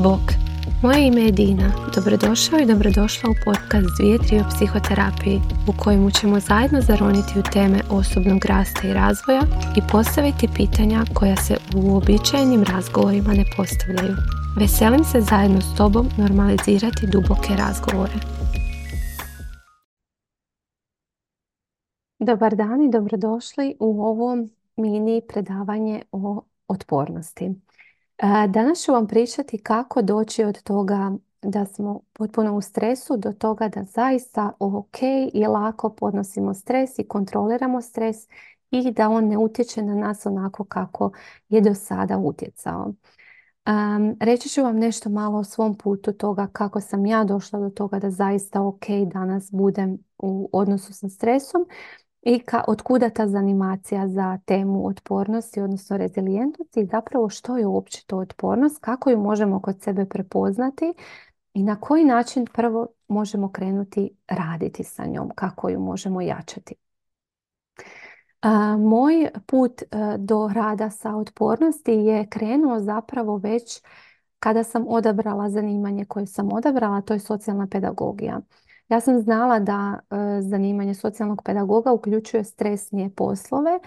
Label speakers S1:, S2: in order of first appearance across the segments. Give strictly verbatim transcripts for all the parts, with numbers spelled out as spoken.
S1: Bok, moje ime je Dina. Dobrodošao i dobrodošla u podcast Dvije tri o psihoterapiji, u kojemu ćemo zajedno zaroniti u teme osobnog rasta i razvoja i postaviti pitanja koja se u uobičajenim razgovorima ne postavljaju. Veselim se zajedno s tobom normalizirati duboke razgovore. Dobar dan i dobrodošli u ovo mini predavanje o otpornosti. Danas ću vam pričati kako doći od toga da smo potpuno u stresu do toga da zaista ok i lako podnosimo stres i kontroliramo stres i da on ne utječe na nas onako kako je do sada utjecao. Um, reći ću vam nešto malo o svom putu toga kako sam ja došla do toga da zaista ok danas budem u odnosu sa stresom i ka, od kuda ta zanimacija za temu otpornosti, odnosno rezilijentnosti i zapravo što je uopće to otpornost, kako ju možemo kod sebe prepoznati i na koji način prvo možemo krenuti raditi sa njom, kako ju možemo jačati. A, moj put a, do rada sa otpornosti je krenuo zapravo već kada sam odabrala zanimanje koje sam odabrala, to je socijalna pedagogija. Ja sam znala da e, zanimanje socijalnog pedagoga uključuje stresnije poslove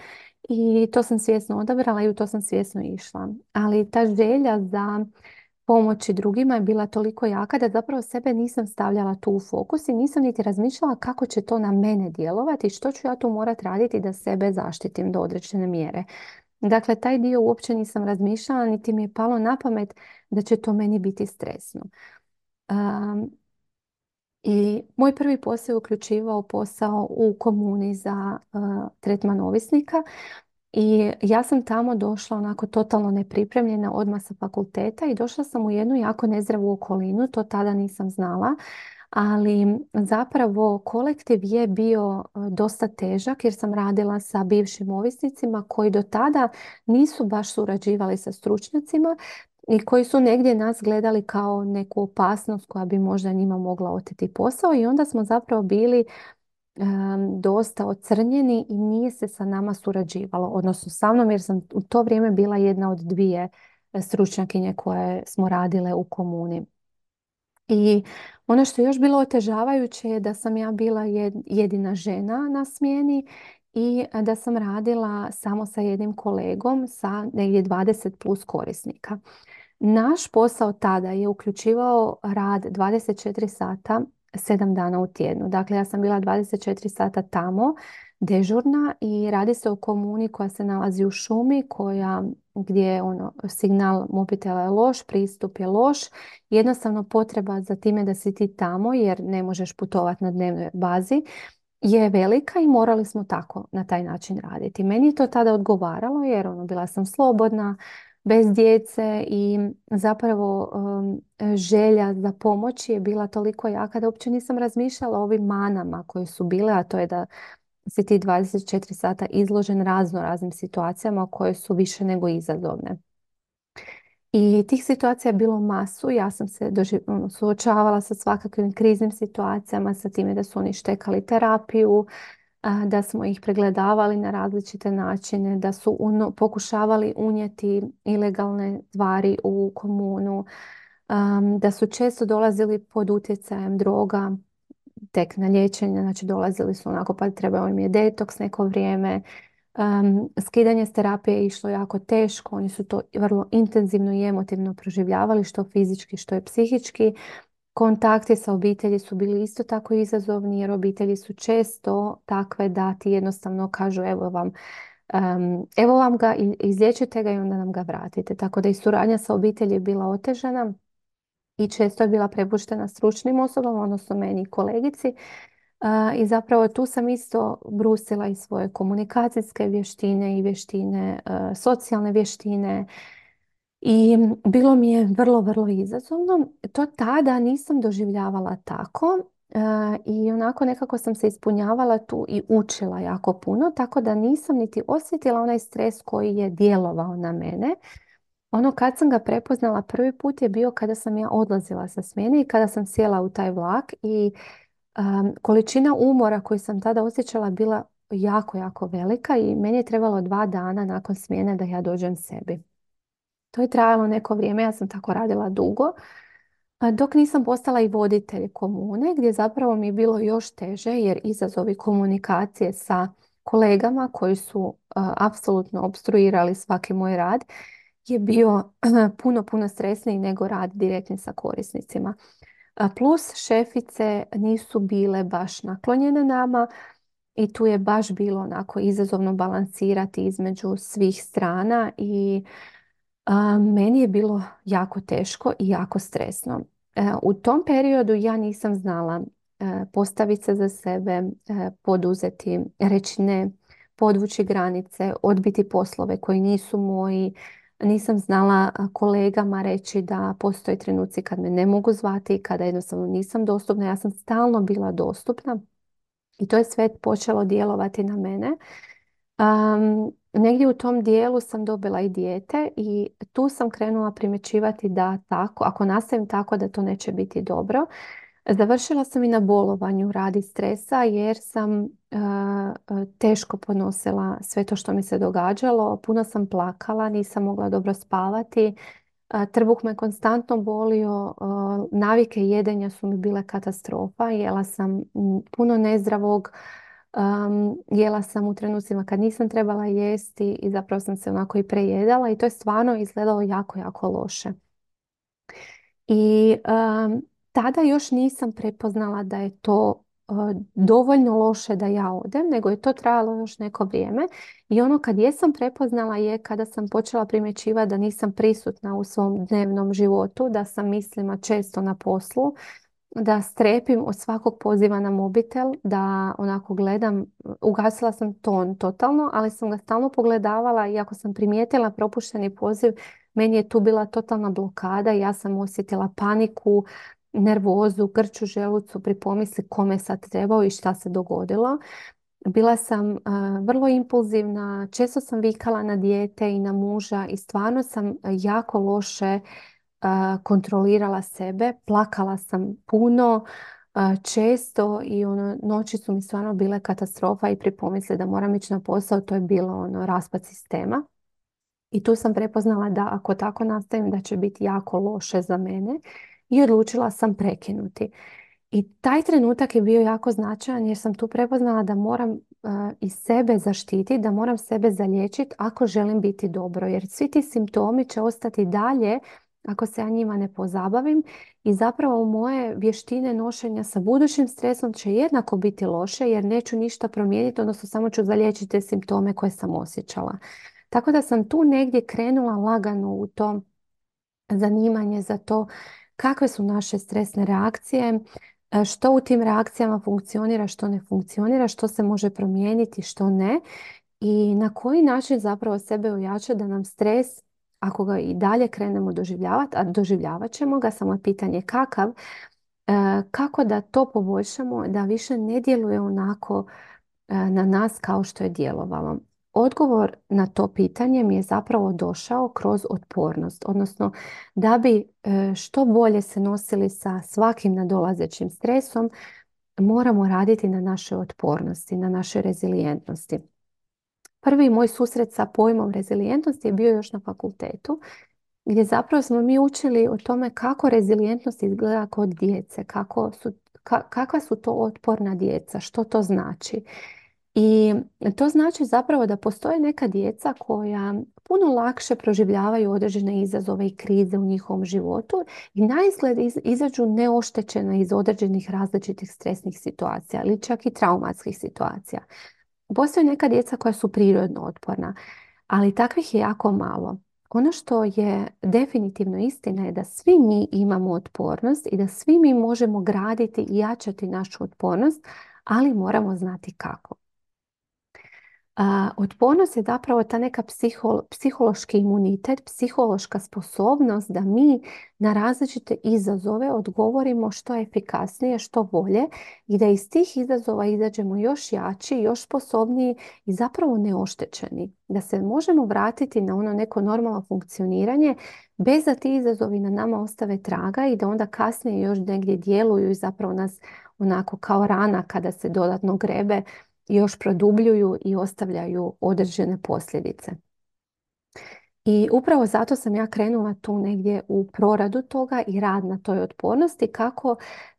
S1: i to sam svjesno odabrala i u to sam svjesno išla. Ali ta želja za pomoći drugima je bila toliko jaka da zapravo sebe nisam stavljala tu u fokus i nisam niti razmišljala kako će to na mene djelovati i što ću ja tu morati raditi da sebe zaštitim do određene mjere. Dakle, taj dio uopće nisam razmišljala, niti mi je palo na pamet da će to meni biti stresno. Um, I moj prvi posao je uključivao posao u komuni za uh, tretman ovisnika i ja sam tamo došla onako totalno nepripremljena odmah sa fakulteta i došla sam u jednu jako nezdravu okolinu, to tada nisam znala, ali zapravo kolektiv je bio dosta težak jer sam radila sa bivšim ovisnicima koji do tada nisu baš surađivali sa stručnjacima i koji su negdje nas gledali kao neku opasnost koja bi možda njima mogla oteti posao i onda smo zapravo bili um, dosta ocrnjeni i nije se sa nama surađivalo, odnosno sa mnom jer sam u to vrijeme bila jedna od dvije stručnjakinje koje smo radile u komuni. I ono što je još bilo otežavajuće je da sam ja bila jedina žena na smjeni i da sam radila samo sa jednim kolegom sa negdje dvadeset plus korisnika. Naš posao tada je uključivao rad dvadeset četiri sata, sedam dana u tjednu. Dakle, ja sam bila dvadeset četiri sata tamo, dežurna i radi se o komuni koja se nalazi u šumi, koja, gdje ono, signal mobitela je loš, pristup je loš. Jednostavno potreba za time da si ti tamo jer ne možeš putovati na dnevnoj bazi je velika i morali smo tako na taj način raditi. Meni je to tada odgovaralo jer ono, bila sam slobodna, bez djece i zapravo um, želja za pomoći je bila toliko jaka da uopće nisam razmišljala o ovim manama koje su bile, a to je da si ti dvadeset četiri sata izložen razno raznim situacijama koje su više nego izazovne. I tih situacija je bilo masu. Ja sam se doživ... suočavala sa svakakvim kriznim situacijama, sa time da su oni štekali terapiju, da smo ih pregledavali na različite načine, da su uno, pokušavali unijeti ilegalne tvari u komunu, um, da su često dolazili pod utjecajem droga, tek na liječenje, znači dolazili su onako pa trebao im je detoks neko vrijeme. Um, skidanje s terapije je išlo jako teško, oni su to vrlo intenzivno i emotivno proživljavali, što fizički, što je psihički. Kontakti sa obitelji su bili isto tako izazovni jer obitelji su često takve da ti jednostavno kažu evo vam, um, evo vam ga, izliječite ga i onda nam ga vratite. Tako da i suradnja sa obitelji je bila otežana i često je bila prepuštena stručnim osobama, odnosno meni i kolegici. Uh, I zapravo tu sam isto brusila i svoje komunikacijske vještine i vještine, uh, socijalne vještine. I bilo mi je vrlo, vrlo izazovno. To tada nisam doživljavala tako e, i onako nekako sam se ispunjavala tu i učila jako puno, tako da nisam niti osjetila onaj stres koji je djelovao na mene. Ono kad sam ga prepoznala prvi put je bio kada sam ja odlazila sa smjene i kada sam sjela u taj vlak i um, količina umora koju sam tada osjećala bila jako, jako velika i meni je trebalo dva dana nakon smjene da ja dođem sebi. To je trajalo neko vrijeme, ja sam tako radila dugo, a dok nisam postala i voditelj komune, gdje zapravo mi je bilo još teže jer izazovi komunikacije sa kolegama koji su a, apsolutno opstruirali svaki moj rad je bio puno, puno stresniji nego rad direktni sa korisnicima. A plus šefice nisu bile baš naklonjene nama i tu je baš bilo onako izazovno balansirati između svih strana i a, meni je bilo jako teško i jako stresno. E, u tom periodu ja nisam znala e, postaviti se za sebe, e, poduzeti, reći ne, podvući granice, odbiti poslove koji nisu moji. Nisam znala a, kolegama reći da postoje trenuci kad me ne mogu zvati, kada jednostavno nisam dostupna. Ja sam stalno bila dostupna i to je sve počelo djelovati na mene. Um, negdje u tom dijelu sam dobila i dijete i tu sam krenula primjećivati da tako, ako nastavim tako da to neće biti dobro. Završila sam i na bolovanju radi stresa jer sam uh, uh, teško podnosila sve to što mi se događalo. Puno sam plakala, nisam mogla dobro spavati. Uh, trbuh me konstantno bolio, uh, navike jedenja su mi bile katastrofa. Jela sam mm, puno nezdravog. Um, jela sam u trenucima kad nisam trebala jesti i zapravo sam se onako i prejedala i to je stvarno izgledalo jako, jako loše. I um, tada još nisam prepoznala da je to uh, dovoljno loše da ja odem, nego je to trajalo još neko vrijeme. I ono kad jesam prepoznala je kada sam počela primjećivati da nisam prisutna u svom dnevnom životu, da sam mislima često na poslu, da strepim od svakog poziva na mobitel, da onako gledam, ugasila sam ton totalno, ali sam ga stalno pogledavala i ako sam primijetila propušteni poziv, meni je tu bila totalna blokada i ja sam osjetila paniku, nervozu, grču želucu pri pomisli kome sad trebao i šta se dogodilo. Bila sam uh, vrlo impulzivna, često sam vikala na dijete i na muža i stvarno sam jako loše uh, kontrolirala sebe. Plakala sam puno, uh, često i ono, noći su mi stvarno bile katastrofa i pri pomisli da moram ići na posao, to je bilo ono, raspad sistema. I tu sam prepoznala da ako tako nastavim da će biti jako loše za mene i odlučila sam prekinuti. I taj trenutak je bio jako značajan jer sam tu prepoznala da moram uh, i sebe zaštititi, da moram sebe zaliječiti ako želim biti dobro. Jer svi ti simptomi će ostati dalje ako se ja njima ne pozabavim i zapravo moje vještine nošenja sa budućim stresom će jednako biti loše jer neću ništa promijeniti, odnosno samo ću zaliječiti te simptome koje sam osjećala. Tako da sam tu negdje krenula lagano u to zanimanje za to kakve su naše stresne reakcije, e, što u tim reakcijama funkcionira, što ne funkcionira, što se može promijeniti, što ne i na koji način zapravo sebe ojačati da nam stres, ako ga i dalje krenemo doživljavati, a doživljavat ćemo ga, samo je pitanje kakav, e, kako da to poboljšamo, da više ne djeluje onako e, na nas kao što je djelovalo. Odgovor na to pitanje mi je zapravo došao kroz otpornost, odnosno da bi e, što bolje se nosili sa svakim nadolazećim stresom, moramo raditi na našoj otpornosti, na našoj rezilijentnosti. Prvi moj susret sa pojmom rezilijentnosti je bio još na fakultetu, gdje zapravo smo mi učili o tome kako rezilijentnost izgleda kod djece, kako su, ka, kakva su to otporna djeca, što to znači. I to znači zapravo da postoje neka djeca koja puno lakše proživljavaju određene izazove i krize u njihovom životu i naizgled izađu neoštećena iz određenih različitih stresnih situacija ili čak i traumatskih situacija. Postoje neka djeca koja su prirodno otporna, ali takvih je jako malo. Ono što je definitivno istina je da svi mi imamo otpornost i da svi mi možemo graditi i jačati našu otpornost, ali moramo znati kako. A, otpornost je zapravo ta neka psiho, psihološki imunitet, psihološka sposobnost da mi na različite izazove odgovorimo što efikasnije, što bolje i da iz tih izazova izađemo još jači, još sposobniji i zapravo neoštećeni. Da se možemo vratiti na ono neko normalno funkcioniranje bez da ti izazovi na nama ostave traga i da onda kasnije još negdje djeluju i zapravo nas onako kao rana kada se dodatno grebe još produbljuju i ostavljaju određene posljedice. I upravo zato sam ja krenula tu negdje u proradu toga i rad na toj otpornosti, kako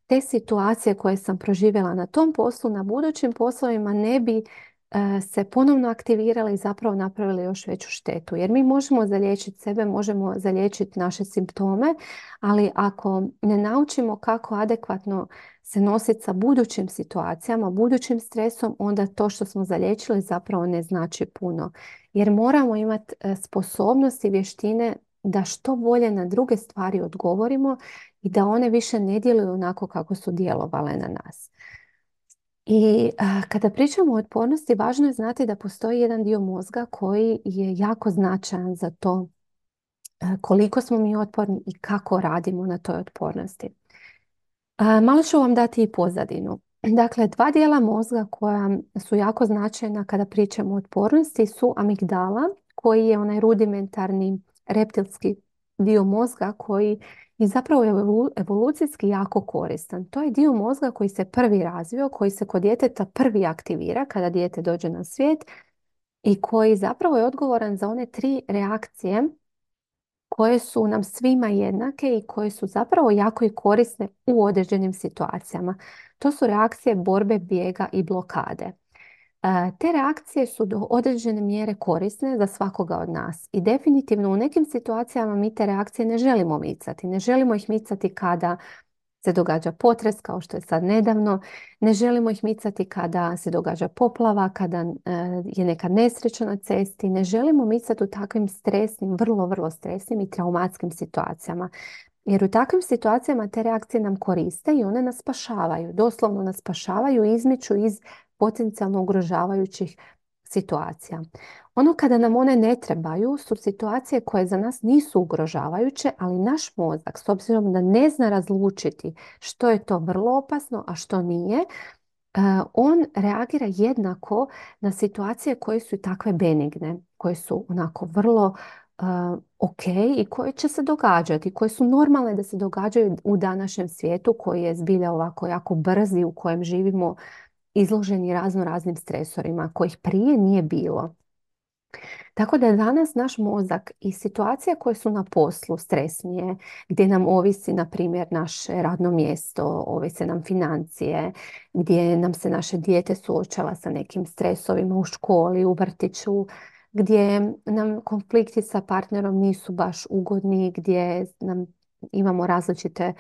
S1: te situacije koje sam proživjela na tom poslu, na budućim poslovima ne bi e, se ponovno aktivirale i zapravo napravili još veću štetu. Jer mi možemo zaliječiti sebe, možemo zaliječiti naše simptome, ali ako ne naučimo kako adekvatno se nositi sa budućim situacijama, budućim stresom, onda to što smo zaliječili zapravo ne znači puno. Jer moramo imati e, sposobnost i vještine da što bolje na druge stvari odgovorimo i da one više ne djeluju onako kako su djelovale na nas. I a, kada pričamo o otpornosti, važno je znati da postoji jedan dio mozga koji je jako značajan za to e, koliko smo mi otporni i kako radimo na toj otpornosti. A, malo ću vam dati i pozadinu. Dakle, dva dijela mozga koja su jako značajna kada pričamo o otpornosti su amigdala, koji je onaj rudimentarni reptilski dio mozga koji je zapravo evolu- evolucijski jako koristan. To je dio mozga koji se prvi razvio, koji se kod djeteta prvi aktivira kada dijete dođe na svijet i koji zapravo je odgovoran za one tri reakcije koje su nam svima jednake i koje su zapravo jako i korisne u određenim situacijama. To su reakcije borbe, bijega i blokade. E, Te reakcije su do određene mjere korisne za svakoga od nas i definitivno u nekim situacijama mi te reakcije ne želimo micati. Ne želimo ih micati kada se događa potres, kao što je sad nedavno. Ne želimo ih micati kada se događa poplava, kada e, je neka nesreća na cesti. Ne želimo micati u takvim stresnim, vrlo, vrlo stresnim i traumatskim situacijama. Jer u takvim situacijama te reakcije nam koriste i one nas spašavaju. Doslovno nas spašavaju i izmiču iz potencijalno ugrožavajućih situacija. Ono kada nam one ne trebaju su situacije koje za nas nisu ugrožavajuće, ali naš mozak, s obzirom da ne zna razlučiti što je to vrlo opasno, a što nije, e, on reagira jednako na situacije koje su takve benigne, koje su onako vrlo uh, ok i koje će se događati, koje su normalne da se događaju u današnjem svijetu koji je zbilja ovako jako brzi, u kojem živimo izloženi razno raznim stresorima kojih prije nije bilo. Tako da danas naš mozak i situacije koje su na poslu stresnije, gdje nam ovisi, na primjer, naše radno mjesto, ovise nam financije, gdje nam se naše dijete suočava sa nekim stresovima u školi, u vrtiću, gdje nam konflikti sa partnerom nisu baš ugodni, gdje nam imamo različite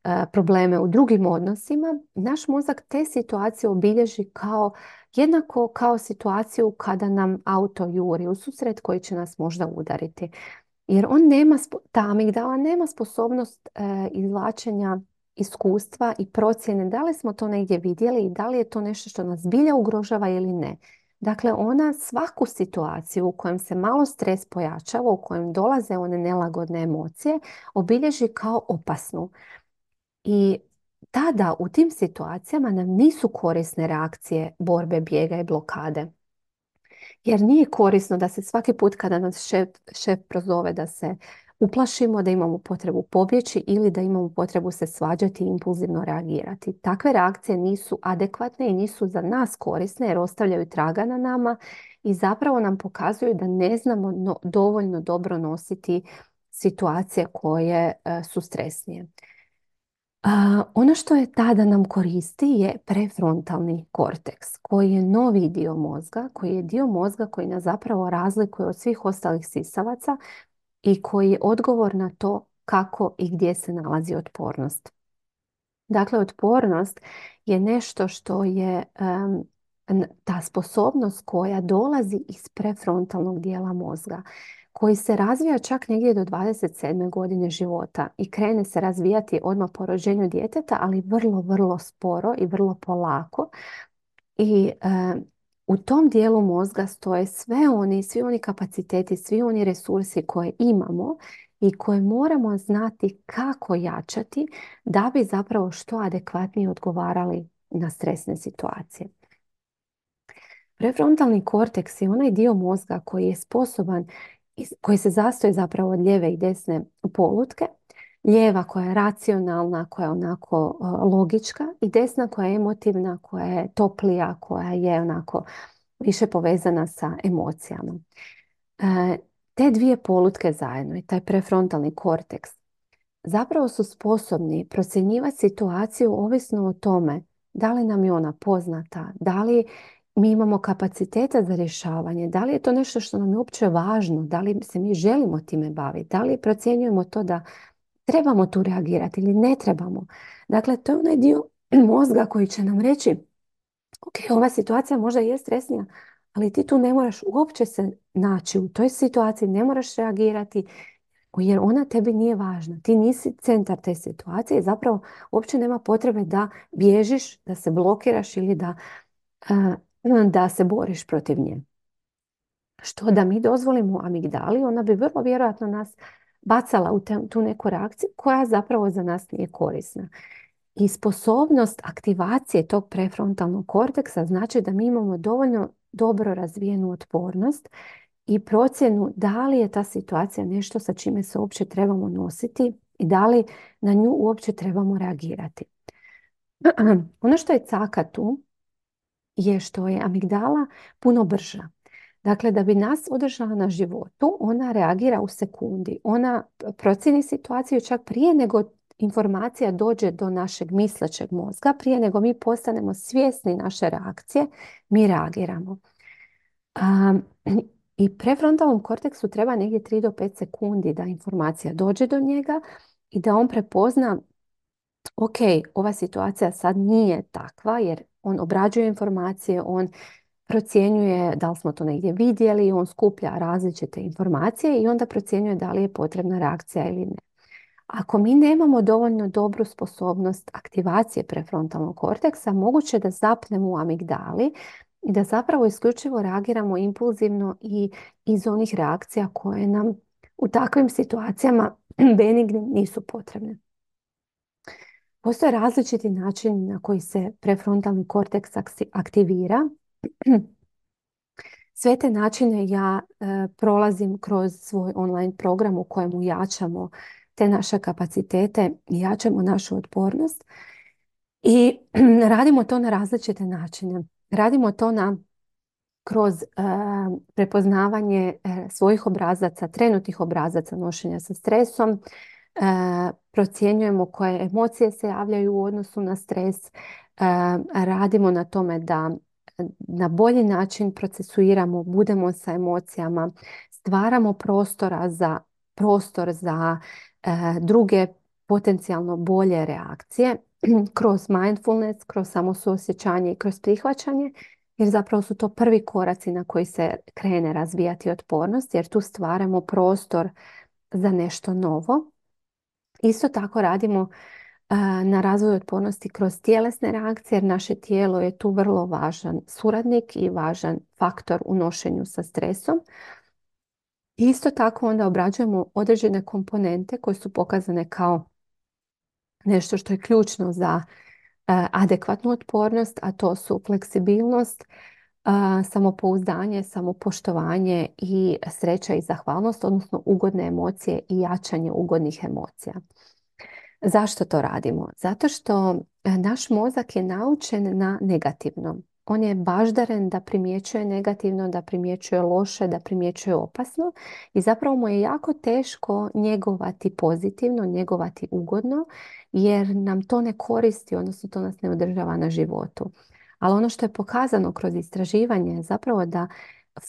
S1: e, probleme u drugim odnosima, naš mozak te situacije obilježi kao jednako kao situaciju kada nam auto juri u susret koji će nas možda udariti. Jer on nema, spo- ta amigdala nema sposobnost e, izvlačenja iskustva i procjene da li smo to negdje vidjeli i da li je to nešto što nas zbilja ugrožava ili ne. Dakle, ona svaku situaciju u kojem se malo stres pojačava, u kojem dolaze one nelagodne emocije, obilježi kao opasnu. I tada u tim situacijama nam nisu korisne reakcije borbe, bijega i blokade. Jer nije korisno da se svaki put kada nas šef, šef prozove da se uplašimo, da imamo potrebu pobjeći ili da imamo potrebu se svađati i impulzivno reagirati. Takve reakcije nisu adekvatne i nisu za nas korisne jer ostavljaju traga na nama i zapravo nam pokazuju da ne znamo no- dovoljno dobro nositi situacije koje e, su stresnije. A, ono što je tada nam koristi je prefrontalni korteks, koji je novi dio mozga, koji je dio mozga koji nas zapravo razlikuje od svih ostalih sisavaca i koji je odgovor na to kako i gdje se nalazi otpornost. Dakle, otpornost je nešto što je em, n- ta sposobnost koja dolazi iz prefrontalnog dijela mozga, koji se razvija čak negdje do dvadeset sedme godine života i krene se razvijati odmah po rođenju djeteta, ali vrlo, vrlo sporo i vrlo polako. I e, u tom dijelu mozga stoje sve oni, svi oni kapaciteti, svi oni resursi koje imamo i koje moramo znati kako jačati da bi zapravo što adekvatnije odgovarali na stresne situacije. Prefrontalni korteks je onaj dio mozga koji je sposoban, iz- koji se sastoji zapravo od lijeve i desne polutke. Lijeva koja je racionalna, koja je onako e, logička i desna koja je emotivna, koja je toplija, koja je onako više povezana sa emocijama. E, te dvije polutke zajedno i taj prefrontalni korteks zapravo su sposobni procjenjivati situaciju ovisno o tome da li nam je ona poznata, da li mi imamo kapaciteta za rješavanje, da li je to nešto što nam je uopće važno, da li se mi želimo time baviti, da li procjenjujemo to da trebamo tu reagirati ili ne trebamo. Dakle, to je onaj dio mozga koji će nam reći ok, ova situacija možda je stresnija, ali ti tu ne moraš uopće se naći u toj situaciji, ne moraš reagirati jer ona tebi nije važna. Ti nisi centar te situacije i zapravo uopće nema potrebe da bježiš, da se blokiraš ili da, da se boriš protiv nje. Što da mi dozvolimo amigdali, ona bi vrlo vjerojatno nas bacala u te, tu neku reakciju koja zapravo za nas nije korisna. I sposobnost aktivacije tog prefrontalnog korteksa znači da mi imamo dovoljno dobro razvijenu otpornost i procjenu da li je ta situacija nešto sa čime se uopće trebamo nositi i da li na nju uopće trebamo reagirati. Ono što je caka tu je što je amigdala puno brža. Dakle, da bi nas održala na životu, ona reagira u sekundi. Ona procjeni situaciju čak prije nego informacija dođe do našeg mislećeg mozga, prije nego mi postanemo svjesni naše reakcije, mi reagiramo. Um, I prefrontalnom korteksu treba negdje tri do pet sekundi da informacija dođe do njega i da on prepozna ok, ova situacija sad nije takva jer on obrađuje informacije, on procjenjuje da li smo to negdje vidjeli, on skuplja različite informacije i onda procjenjuje da li je potrebna reakcija ili ne. Ako mi nemamo dovoljno dobru sposobnost aktivacije prefrontalnog korteksa, moguće da zapnemo u amigdali i da zapravo isključivo reagiramo impulzivno i iz onih reakcija koje nam u takvim situacijama benignim nisu potrebne. Postoje različiti načini na koji se prefrontalni korteks aktivira. Sve te načine ja e, prolazim kroz svoj online program u kojemu jačamo te naše kapacitete i jačamo našu otpornost. I radimo to na različite načine. Radimo to na kroz e, prepoznavanje e, svojih obrazaca, trenutnih obrazaca nošenja sa stresom. E, procjenjujemo koje emocije se javljaju u odnosu na stres. E, radimo na tome da na bolji način procesuiramo, budemo sa emocijama, stvaramo prostora za prostor za e, druge potencijalno bolje reakcije kroz mindfulness, kroz samosuosjećanje i kroz prihvaćanje, jer zapravo su to prvi koraci na koji se krene razvijati otpornost, jer tu stvaramo prostor za nešto novo. Isto tako radimo na razvoju otpornosti kroz tjelesne reakcije, jer naše tijelo je tu vrlo važan suradnik i važan faktor u nošenju sa stresom. Isto tako onda obrađujemo određene komponente koje su pokazane kao nešto što je ključno za adekvatnu otpornost, a to su fleksibilnost, samopouzdanje, samopoštovanje i sreća i zahvalnost, odnosno ugodne emocije i jačanje ugodnih emocija. Zašto to radimo? Zato što naš mozak je naučen na negativno. On je baždaren da primjećuje negativno, da primjećuje loše, da primjećuje opasno i zapravo mu je jako teško njegovati pozitivno, njegovati ugodno jer nam to ne koristi, odnosno to nas ne održava na životu. Ali ono što je pokazano kroz istraživanje je zapravo da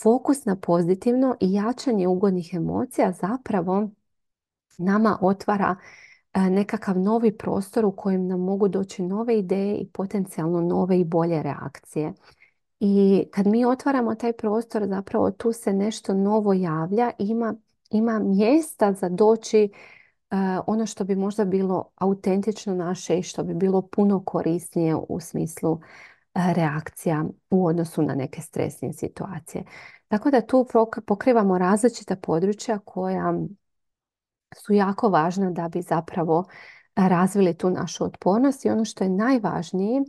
S1: fokus na pozitivno i jačanje ugodnih emocija zapravo nama otvara nekakav novi prostor u kojem nam mogu doći nove ideje i potencijalno nove i bolje reakcije. I kad mi otvaramo taj prostor, zapravo tu se nešto novo javlja, ima, ima mjesta za doći uh, ono što bi možda bilo autentično naše i što bi bilo puno korisnije u smislu uh, reakcija u odnosu na neke stresne situacije. Tako da tu pokrivamo različita područja koja su jako važna da bi zapravo razvili tu našu otpornost i ono što je najvažnije,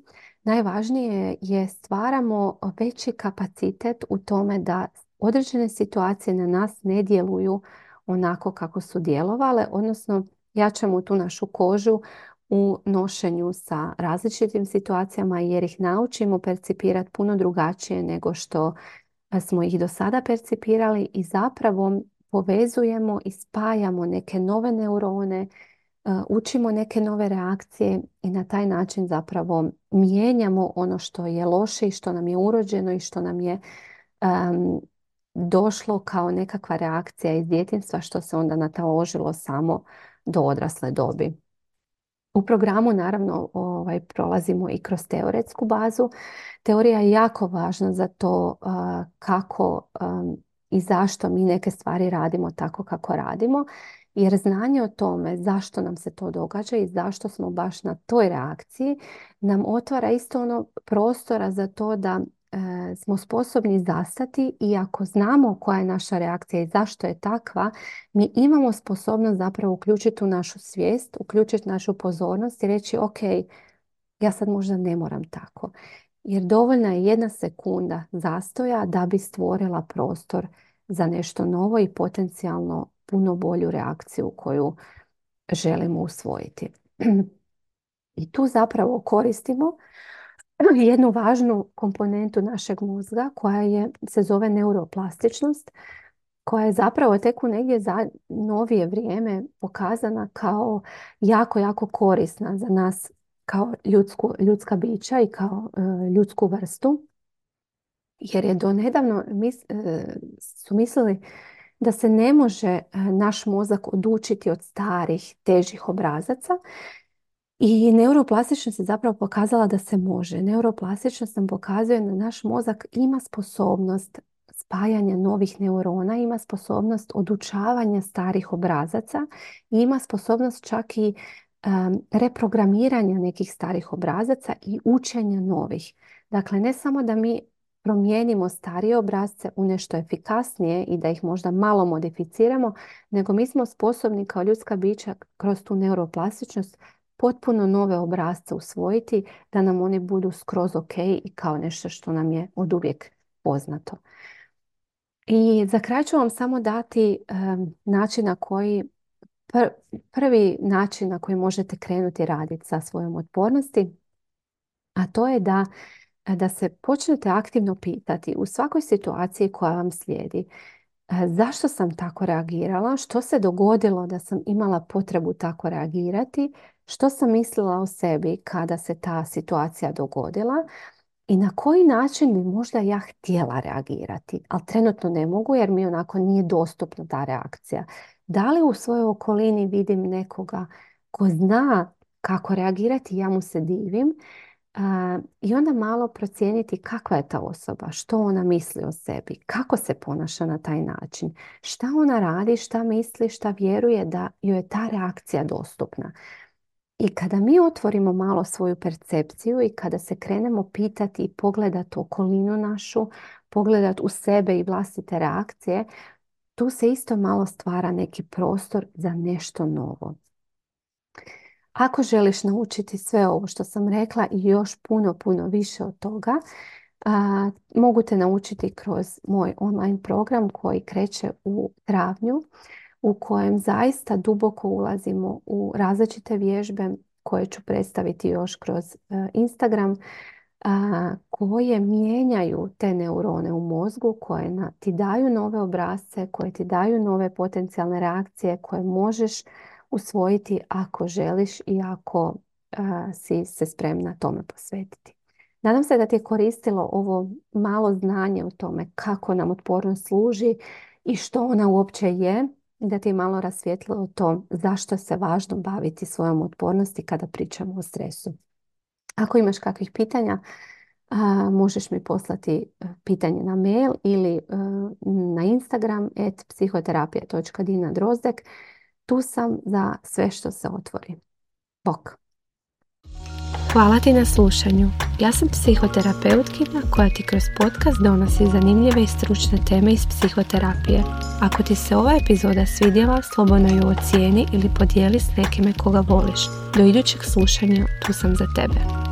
S1: najvažnije je stvaramo veći kapacitet u tome da određene situacije na nas ne djeluju onako kako su djelovale, odnosno jačamo tu našu kožu u nošenju sa različitim situacijama jer ih naučimo percipirati puno drugačije nego što smo ih do sada percipirali i zapravo povezujemo i spajamo neke nove neurone, učimo neke nove reakcije i na taj način zapravo mijenjamo ono što je loše i što nam je urođeno i što nam je um, došlo kao nekakva reakcija iz djetinjstva što se onda nataložilo samo do odrasle dobi. U programu naravno ovaj, prolazimo i kroz teoretsku bazu. Teorija je jako važna za to uh, kako um, i zašto mi neke stvari radimo tako kako radimo. Jer znanje o tome zašto nam se to događa i zašto smo baš na toj reakciji nam otvara isto ono prostora za to da e, smo sposobni zastati i ako znamo koja je naša reakcija i zašto je takva, mi imamo sposobnost zapravo uključiti u našu svijest, uključiti našu pozornost i reći ok, ja sad možda ne moram tako. Jer dovoljna je jedna sekunda zastoja da bi stvorila prostor za nešto novo i potencijalno puno bolju reakciju koju želimo usvojiti. I tu zapravo koristimo jednu važnu komponentu našeg mozga koja je, se zove neuroplastičnost, koja je zapravo tek u negdje za novije vrijeme pokazana kao jako, jako korisna za nas kao ljudsku, ljudska bića i kao e, ljudsku vrstu. Jer je do nedavno mis, e, su mislili da se ne može naš mozak odučiti od starih, težih obrazaca. I neuroplastičnost je zapravo pokazala da se može. Neuroplastičnost nam pokazuje da naš mozak ima sposobnost spajanja novih neurona, ima sposobnost odučavanja starih obrazaca i ima sposobnost čak i um, reprogramiranja nekih starih obrazaca i učenja novih. Dakle, ne samo da mi promijenimo starije obrazce u nešto efikasnije i da ih možda malo modificiramo, nego mi smo sposobni kao ljudska bića kroz tu neuroplastičnost potpuno nove obrazce usvojiti da nam oni budu skroz ok i kao nešto što nam je oduvijek poznato. I za kraj ću vam samo dati um, način na koji, pr- prvi način na koji možete krenuti raditi sa svojom otpornosti, a to je da da se počnete aktivno pitati u svakoj situaciji koja vam slijedi zašto sam tako reagirala, što se dogodilo da sam imala potrebu tako reagirati, što sam mislila o sebi kada se ta situacija dogodila i na koji način bi možda ja htjela reagirati, ali trenutno ne mogu jer mi onako nije dostupna ta reakcija. Da li u svojoj okolini vidim nekoga ko zna kako reagirati, ja mu se divim. Uh, I onda malo procijeniti kakva je ta osoba, što ona misli o sebi, kako se ponaša na taj način, šta ona radi, šta misli, šta vjeruje da joj je ta reakcija dostupna. I kada mi otvorimo malo svoju percepciju i kada se krenemo pitati i pogledati okolinu našu, pogledati u sebe i vlastite reakcije, tu se isto malo stvara neki prostor za nešto novo. Ako želiš naučiti sve ovo što sam rekla i još puno, puno više od toga, a, mogu te naučiti kroz moj online program koji kreće u travnju, u kojem zaista duboko ulazimo u različite vježbe koje ću predstaviti još kroz uh, Instagram, a, koje mijenjaju te neurone u mozgu, koje na, ti daju nove obrasce, koje ti daju nove potencijalne reakcije koje možeš usvojiti ako želiš i ako uh, si se spremna tome posvetiti. Nadam se da ti je koristilo ovo malo znanje o tome kako nam otpornost služi i što ona uopće je, i da ti je malo rasvijetlilo to zašto se važno baviti svojom otpornosti kada pričamo o stresu. Ako imaš kakvih pitanja, uh, možeš mi poslati pitanje na mail ili uh, na Instagram et psihoterapija točka dina drozdek. Tu sam za sve što se otvori. Bok! Hvala ti na slušanju. Ja sam psihoterapeutkinja koja ti kroz podcast donosi zanimljive i stručne teme iz psihoterapije. Ako ti se ova epizoda svidjela, slobodno ju ocijeni ili podijeli s nekime koga voliš. Do idućeg slušanja, tu sam za tebe.